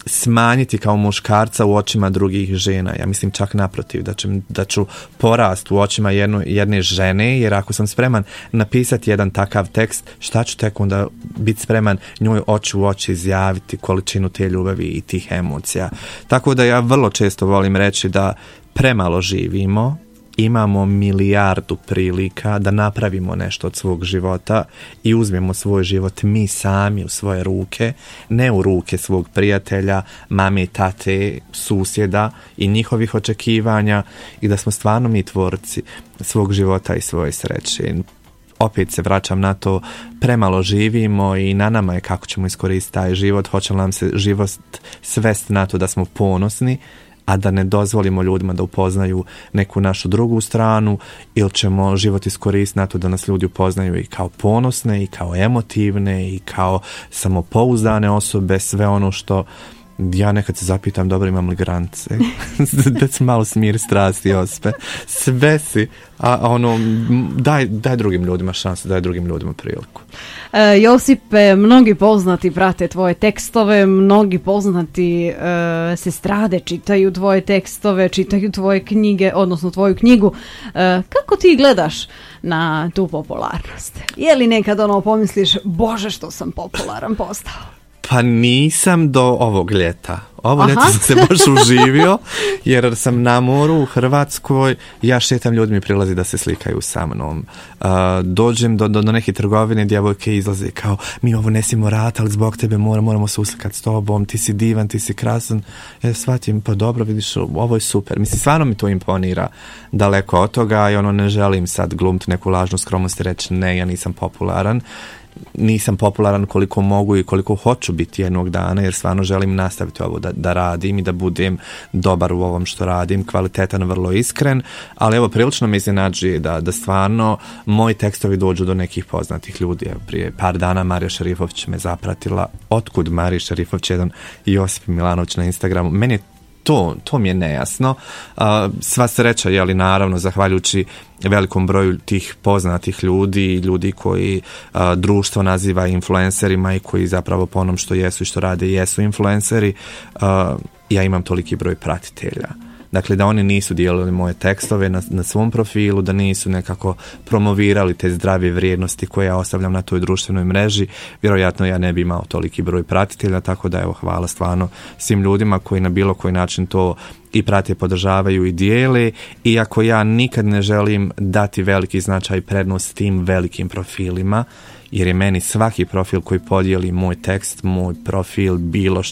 smanjiti kao muškarca u očima drugih žena? Ja mislim čak naprotiv, da ću porast u očima jedne žene, jer ako sam spreman napisati jedan takav tekst, šta ću tek onda biti spreman njoj oči u oči izjaviti količinu te ljubavi i tih emocija. Tako da ja vrlo često volim reći da premalo živimo, imamo milijardu prilika da napravimo nešto od svog života i uzmemo svoj život mi sami u svoje ruke, ne u ruke svog prijatelja, mame, tate, susjeda i njihovih očekivanja, i da smo stvarno mi tvorci svog života i svoje sreće. Opet se vraćam na to, premalo živimo i na nama je kako ćemo iskoristiti taj život. Hoće li nam se život svesti na to da smo ponosni, a da ne dozvolimo ljudima da upoznaju neku našu drugu stranu, ili ćemo život iskoristiti na to da nas ljudi upoznaju i kao ponosne i kao emotivne i kao samopouzdane osobe, sve ono što ja nekad se zapitam, dobro, imam li granice? Da se malo smiri strasti ospe. Sve si, a daj drugim ljudima šansu, daj drugim ljudima priliku. Josipe, mnogi poznati prate tvoje tekstove, mnogi poznati se strade, čitaju tvoje tekstove, čitaju tvoje knjige, odnosno tvoju knjigu. Kako ti gledaš na tu popularnost? Je li nekad pomisliš, Bože, što sam popularan postao? Pa nisam do ovog ljeta. Ovo ljeto sam se baš uživio, jer sam na moru u Hrvatskoj, ja šetam, ljudi mi prilazi da se slikaju sa mnom. Dođem do neke trgovine, djevojke izlaze kao, mi ovo nesimo rata, ali zbog tebe moramo se uslikati s tobom, ti si divan, ti si krasan. Ja shvatim, pa dobro, vidiš, ovo je super. Mislim, stvarno mi to imponira daleko od toga i ne želim sad glumiti neku lažnu skromnost i reći, ne, ja nisam popularan. Nisam popularan koliko mogu i koliko hoću biti jednog dana, jer stvarno želim nastaviti ovo da radim i da budem dobar u ovom što radim, kvalitetan, vrlo iskren, ali evo, prilično me iznenađuje da stvarno moji tekstovi dođu do nekih poznatih ljudi. Evo, prije par dana Marija Šerifović me zapratila. Otkud Marija Šerifović? Jedan Josip Milanović na Instagramu. Meni je to mi je nejasno. Sva sreća, jeli, naravno, zahvaljujući velikom broju tih poznatih ljudi koji društvo naziva influencerima i koji zapravo po onom što jesu i što rade jesu influenceri, ja imam toliki broj pratitelja. Dakle, da oni nisu dijelili moje tekstove na svom profilu, da nisu nekako promovirali te zdrave vrijednosti koje ja ostavljam na toj društvenoj mreži, vjerojatno ja ne bi imao toliki broj pratitelja, tako da evo, hvala stvarno svim ljudima koji na bilo koji način to i prate, podržavaju i dijele, iako ja nikad ne želim dati veliki značaj i prednost tim velikim profilima, jer je meni svaki profil koji podijeli moj tekst, moj profil, bilo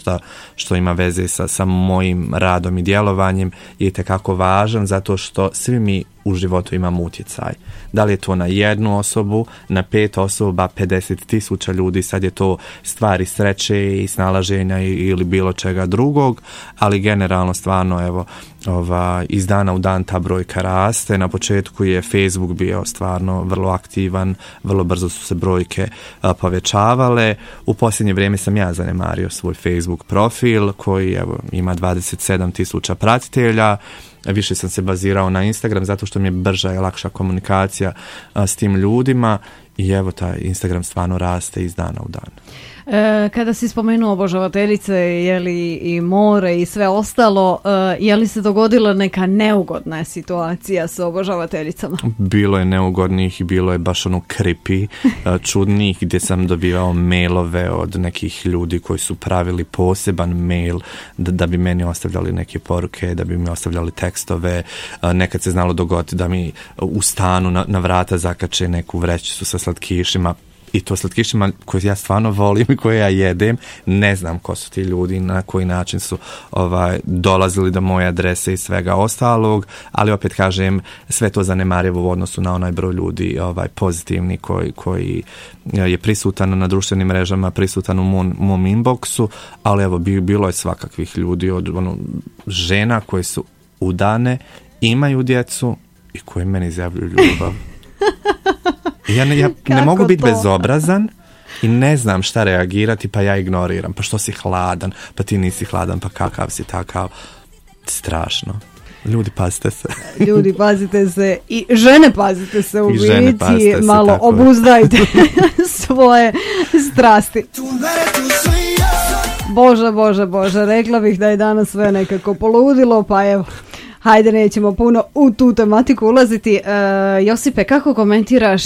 što ima veze sa mojim radom i djelovanjem je itekako važan, zato što svi mi u životu imamo utjecaj. Da li je to na jednu osobu, na 5 osoba, 50.000 ljudi, sad je to stvari sreće i snalaženja ili bilo čega drugog, ali generalno stvarno evo iz dana u dan ta brojka raste. Na početku je Facebook bio stvarno vrlo aktivan, vrlo brzo su se brojke povećavale. U posljednje vrijeme sam ja zanemario svoj Facebook profil koji evo ima 27.000 pratitelja. Više sam se bazirao na Instagram zato što mi je brža i lakša komunikacija s tim ljudima i evo taj Instagram stvarno raste iz dana u dan. Kada si spomenuo obožavateljice, je li i more i sve ostalo, je li se dogodila neka neugodna situacija sa obožavateljicama? Bilo je neugodnih i bilo je baš creepy, čudnih, gdje sam dobivao mailove od nekih ljudi koji su pravili poseban mail da bi meni ostavljali neke poruke, da bi mi ostavljali tekstove. Nekad se znalo dogoditi da mi u stanu na vrata zakače neku vrećicu sa slatkišima, i to slatkišima koje ja stvarno volim i koje ja jedem. Ne znam ko su ti ljudi, na koji način su dolazili do moje adrese i svega ostalog, ali opet kažem, sve to zanemarivo u odnosu na onaj broj ljudi pozitivni koji je prisutan na društvenim mrežama, prisutan u mom inboxu, ali evo bilo je svakakvih ljudi, od žena koje su udane, imaju djecu i koje meni izjavljuju ljubav. Ja ne mogu biti bezobrazan i ne znam šta reagirati, pa ja ignoriram. Pa što si hladan, pa ti nisi hladan, pa kakav si takav. Strašno. Ljudi, pazite se. Ljudi, pazite se. I žene, pazite se u biti. Malo tako obuzdajte svoje strasti. Bože, rekla bih da je danas sve nekako poludilo, pa evo. Hajde, nećemo puno u tu tematiku ulaziti. Josipe, kako komentiraš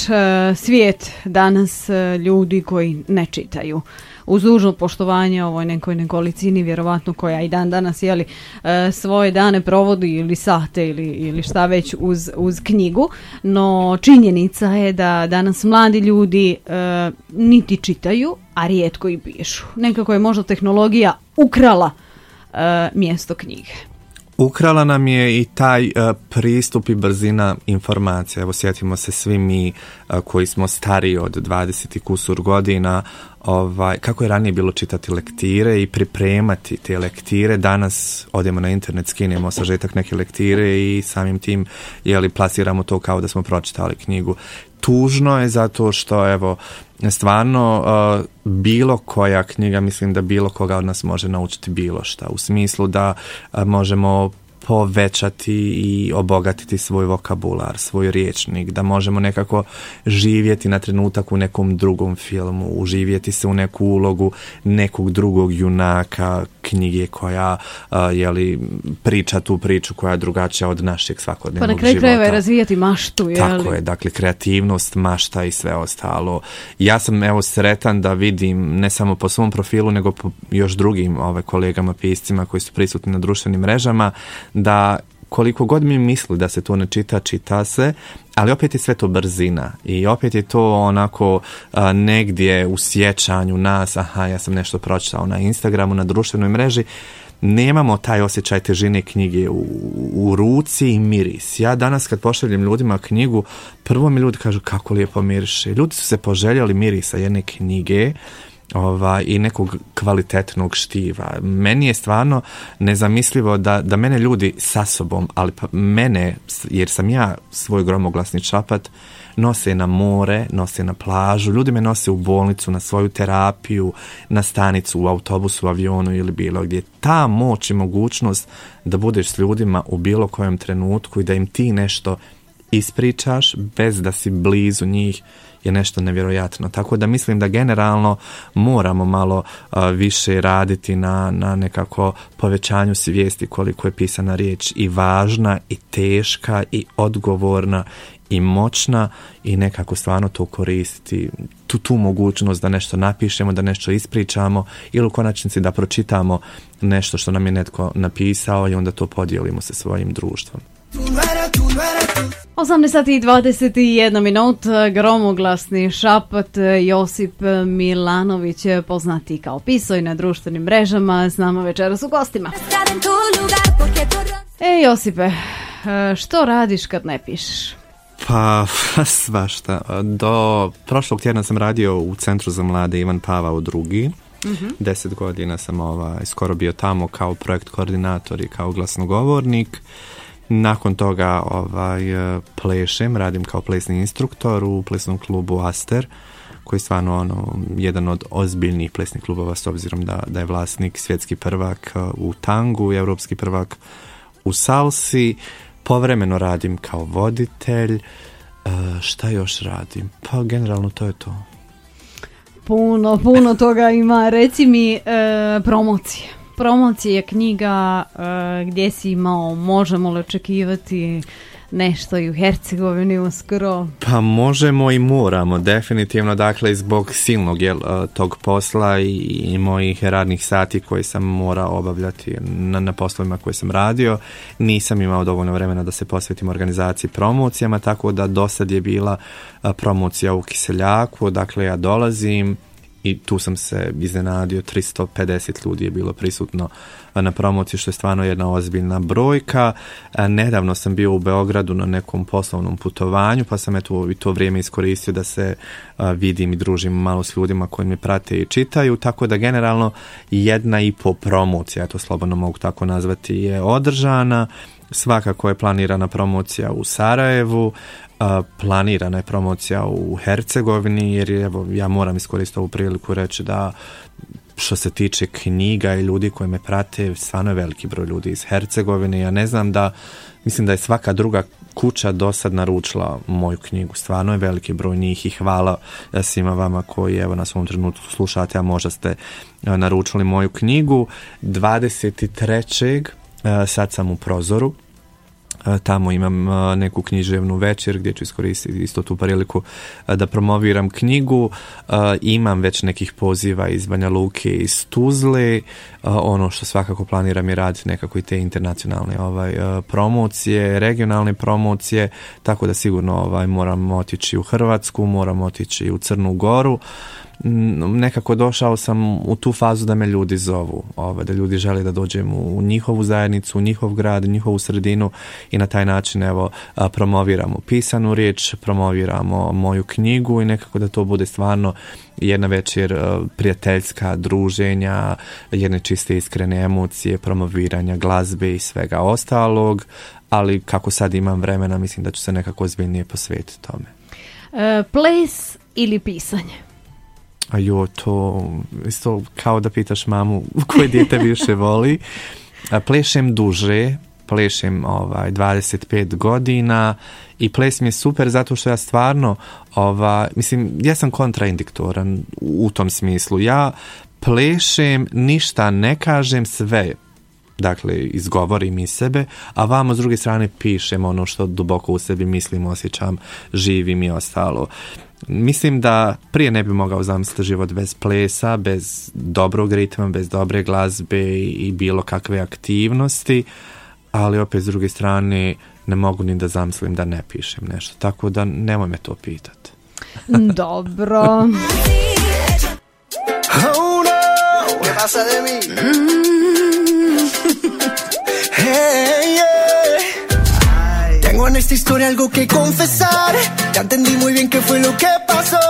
svijet danas ljudi koji ne čitaju? Uz dužno poštovanje ovoj nekoj nekolicini, vjerovatno koja i dan danas svoje dane provodi ili sate ili šta već uz knjigu, no činjenica je da danas mladi ljudi niti čitaju, a rijetko i pišu. Nekako je možda tehnologija ukrala mjesto knjige. Ukrala nam je i taj pristup i brzina informacija. Evo, sjetimo se svi mi koji smo stariji od 20 i kusur godina, kako je ranije bilo čitati lektire i pripremati te lektire. Danas odemo na internet, skinemo sažetak neke lektire i samim tim plasiramo to kao da smo pročitali knjigu. Tužno je zato što evo stvarno bilo koja knjiga, mislim da bilo koga od nas može naučiti bilo šta, u smislu da možemo povećati i obogatiti svoj vokabular, svoj rječnik, da možemo nekako živjeti na trenutak u nekom drugom filmu, uživjeti se u neku ulogu nekog drugog junaka knjige koja priča tu priču koja je drugačija od našeg svakodnevnog života. Pa na kraju krajeva je razvijati maštu. Tako je, dakle kreativnost, mašta i sve ostalo. Ja sam sretan da vidim ne samo po svom profilu nego po još drugim kolegama piscima koji su prisutni na društvenim mrežama, da koliko god mi misli da se to ne čita, čita se, ali opet je sve to brzina i opet je to onako negdje u sjećanju nas, ja sam nešto pročitao na Instagramu, na društvenoj mreži. Nemamo taj osjećaj težine knjige u ruci i miris. Ja danas kad pošaljem ljudima knjigu, prvo mi ljudi kažu kako lijepo miriše. Ljudi su se poželjeli mirisa jedne knjige i nekog kvalitetnog štiva. Meni je stvarno nezamislivo da mene ljudi sa sobom, ali pa mene, jer sam ja svoj gromoglasni čapat, nose na more, nose na plažu, ljudi me nose u bolnicu, na svoju terapiju, na stanicu, u autobusu, u avionu ili bilo gdje. Ta moć i mogućnost da budeš s ljudima u bilo kojem trenutku i da im ti nešto ispričaš bez da si blizu njih je nešto nevjerojatno. Tako da mislim da generalno moramo malo više raditi na nekako povećanju svijesti koliko je pisana riječ i važna i teška i odgovorna i moćna i nekako stvarno to koristiti, tu mogućnost da nešto napišemo, da nešto ispričamo ili u konačnici da pročitamo nešto što nam je netko napisao i onda to podijelimo sa svojim društvom. 18:21, gromoglasni šapat. Josip Milanović, poznati kao Pisoj na društvenim mrežama, s nama večeras u gostima. Josipe, što radiš kad ne pišeš? Pa, svašta. Do prošlog tjedna sam radio u Centru za mlade Ivan Pavao II. 10 godina sam skoro bio tamo kao projekt koordinator i kao glasnogovornik. Nakon toga plešem, radim kao plesni instruktor u plesnom klubu Aster, koji je stvarno jedan od ozbiljnih plesnih klubova, s obzirom da je vlasnik svjetski prvak u tangu i evropski prvak u salsi. Povremeno radim kao voditelj. Šta još radim? Pa generalno to je to. Puno toga ima. Reci mi promocije knjiga, gdje si imao, možemo li očekivati nešto i u Hercegovini uskoro? Pa možemo i moramo, definitivno. Dakle, zbog silnog tog posla i mojih radnih sati koje sam morao obavljati na poslovima koje sam radio, nisam imao dovoljno vremena da se posvetim organizaciji promocijama, tako da dosad je bila promocija u Kiseljaku. Dakle, ja dolazim i tu sam se iznenadio, 350 ljudi je bilo prisutno na promociji, što je stvarno jedna ozbiljna brojka. Nedavno sam bio u Beogradu na nekom poslovnom putovanju, pa sam i to vrijeme iskoristio da se vidim i družim malo s ljudima koji me prate i čitaju, tako da generalno 1,5 promocija, ja to slobodno mogu tako nazvati, je održana. Svakako je planirana promocija u Sarajevu, planirana je promocija u Hercegovini, jer ja moram iskoristiti ovu priliku reći da što se tiče knjiga i ljudi koji me prate, stvarno je veliki broj ljudi iz Hercegovine. Ja ne znam mislim da je svaka druga kuća do sad naručila moju knjigu. Stvarno je veliki broj njih i hvala svima vama koji na svom trenutku slušate, a možda ste naručili moju knjigu. 23. sad sam u Prozoru. Tamo imam neku književnu večer gdje ću iskoristiti isto tu priliku da promoviram knjigu. Imam već nekih poziva iz Banja Luke i iz Tuzle. Ono što svakako planiram je raditi nekako i te internacionalne promocije, regionalne promocije, tako da sigurno moram otići u Hrvatsku, moram otići u Crnu Goru. Nekako došao sam u tu fazu da me ljudi zovu, da ljudi žele da dođem u njihovu zajednicu, u njihov grad, u njihovu sredinu i na taj način promoviramo pisanu riječ, promoviramo moju knjigu i nekako da to bude stvarno jedna večer prijateljska, druženja, jedne čiste iskrene emocije, promoviranja glazbe i svega ostalog, ali kako sad imam vremena, mislim da ću se nekako ozbiljnije posvetiti tome. Ples ili pisanje? To isto kao da pitaš mamu koje dijete više voli. Plešem duže, plešem 25 godina i ples mi je super zato što ja stvarno ja sam kontraindiktoran u tom smislu. Ja plešem, ništa ne kažem, sve izgovorim iz sebe, a vamo s druge strane pišem ono što duboko u sebi mislim, osjećam, živim i ostalo. Mislim da prije ne bi mogao zamisliti život bez plesa, bez dobrog ritma, bez dobre glazbe i bilo kakve aktivnosti, ali opet s druge strane ne mogu ni da zamislim da ne pišem nešto, tako da nemoj me to pitati. Dobro. Oh no, ¿qué pasa de mí? Hey, yeah. Tengo en esta historia algo que confesar. Ya entendí muy bien qué fue lo que pasó.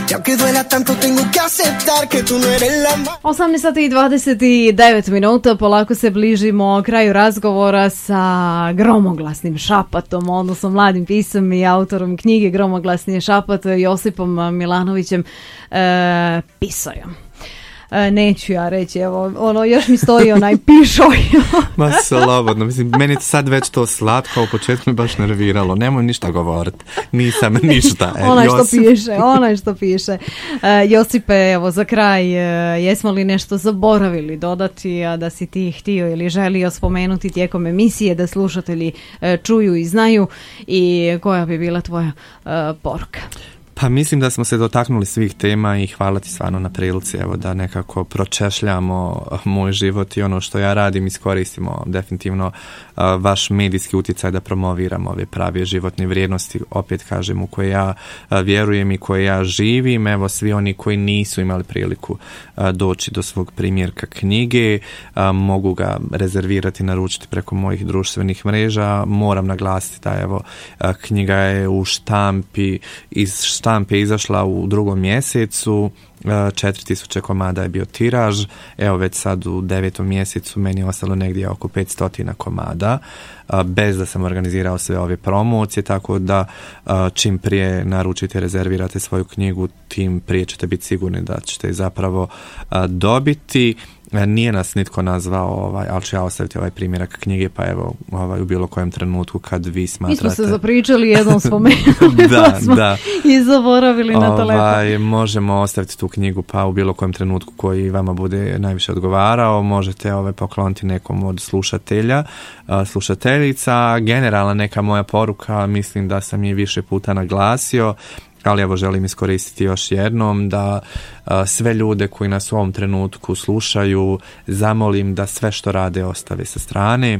Y aunque duela tanto tengo que aceptar que tú no eres la más. 18:29, polako se bližimo kraju razgovora sa gromoglasnim šapatom, odnosno mladim pisom i autorom knjige Gromoglasni šapat, Josipom Milanovićem Pisojom. Neću ja reći, evo, još mi stoji onaj pišoj. Ma slobodno, meni sad već to slatko, u početku mi baš nerviralo, nemoj ništa govoriti, nisam ništa. Onaj što piše. Josipe, evo, za kraj, jesmo li nešto zaboravili dodati, a da si ti htio ili želio spomenuti tijekom emisije, da slušatelji čuju i znaju, i koja bi bila tvoja poruka? Pa mislim da smo se dotaknuli svih tema i hvala ti stvarno na prilici, evo, da nekako pročešljamo moj život i ono što ja radim iskoristimo definitivno vaš medijski utjecaj da promoviramo ove prave životne vrijednosti, opet kažem, u koje ja vjerujem i koje ja živim. Evo, svi oni koji nisu imali priliku doći do svog primjerka knjige, mogu ga rezervirati, naručiti preko mojih društvenih mreža. Moram naglasiti da evo, knjiga je u štampi, iz štampe izašla u 2. mjesecu, 4000 komada je bio tiraž, evo već sad u 9. mjesecu meni je ostalo negdje oko 500 komada, bez da sam organizirao sve ove promocije, tako da čim prije naručite, rezervirate svoju knjigu, tim prije ćete biti sigurni da ćete zapravo dobiti. Nije nas nitko nazvao, ali ću ja ostaviti ovaj primjerak knjige, pa evo u bilo kojem trenutku kad vi smatrate... Mi smo se zapričali, jednom spomenuli, da, smo i zaboravili na telefon. Možemo ostaviti tu knjigu, pa u bilo kojem trenutku koji vama bude najviše odgovarao, možete pokloniti nekom od slušateljica. Generalna neka moja poruka, mislim da sam je više puta naglasio, ali evo želim iskoristiti još jednom da sve ljude koji nas u ovom trenutku slušaju zamolim da sve što rade ostave sa strane,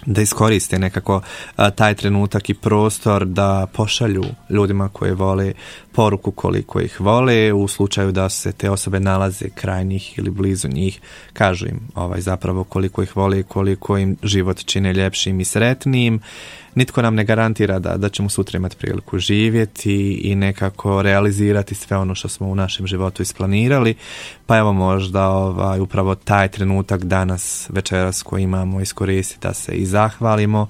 da iskoriste nekako taj trenutak i prostor da pošalju ljudima koje vole poruku koliko ih vole, u slučaju da se te osobe nalaze kraj njih ili blizu njih, kažu im zapravo koliko ih vole i koliko im život čine ljepšim i sretnijim. Nitko nam ne garantira da ćemo sutra imati priliku živjeti i nekako realizirati sve ono što smo u našem životu isplanirali, pa evo možda upravo taj trenutak danas, večeras koji imamo, iskoristiti da se i zahvalimo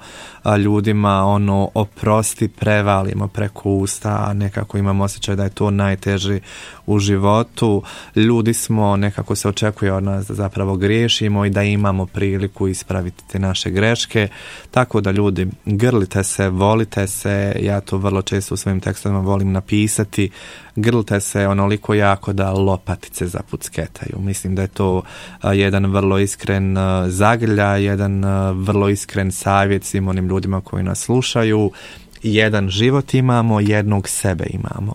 ljudima, oprosti, prevalimo preko usta, a nekako imamo osjećaj da je to najteže u životu. Ljudi smo, nekako se očekuje od nas da zapravo griješimo i da imamo priliku ispraviti te naše greške, tako da ljudi, grlite se, volite se, ja to vrlo često u svojim tekstovima volim napisati, grlite se onoliko jako da lopatice zapucketaju. Mislim da je to jedan vrlo iskren zagrljaj, jedan vrlo iskren savjet svim onim ljudima koji nas slušaju. Jedan život imamo, jednog sebe imamo.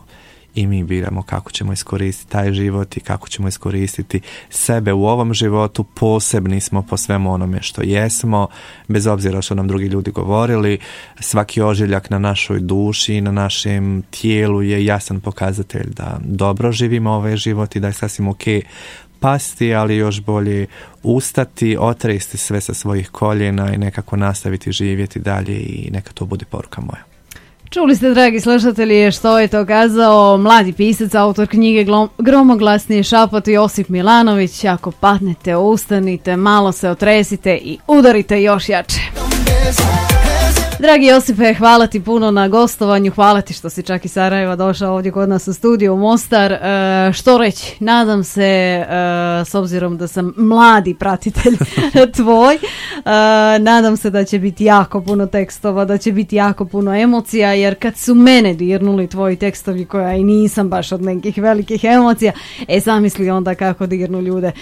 I mi biramo kako ćemo iskoristiti taj život i kako ćemo iskoristiti sebe u ovom životu. Posebni smo po svemu onome što jesmo, bez obzira što nam drugi ljudi govorili. Svaki ožiljak na našoj duši i na našem tijelu je jasan pokazatelj da dobro živimo ovaj život i da je sasvim ok pasti, ali još bolje ustati, otresti sve sa svojih koljena i nekako nastaviti živjeti dalje i neka to bude poruka moja. Čuli ste, dragi slušatelji, što je to kazao mladi pisac, autor knjige Gromoglasni šapot Josip Milanović. Ako padnete, ustanite, malo se otresite i udarite još jače. Dragi Josipe, hvala ti puno na gostovanju, hvala ti što si čak iz Sarajeva došao ovdje kod nas u studiju u Mostar. Što reći, nadam se, s obzirom da sam mladi pratitelj tvoj, nadam se da će biti jako puno tekstova, da će biti jako puno emocija, jer kad su mene dirnuli tvoji tekstovi, koja i nisam baš od nekih velikih emocija, zamisli onda kako dirnu ljude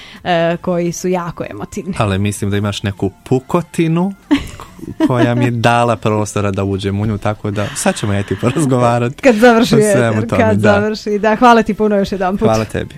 koji su jako emotivni. Ali mislim da imaš neku pukotinu koja mi je dala prostora da uđem u nju, tako da sad ćemo ti porazgovarati. Kad završi, da, hvala ti puno još jedan put. Hvala tebi.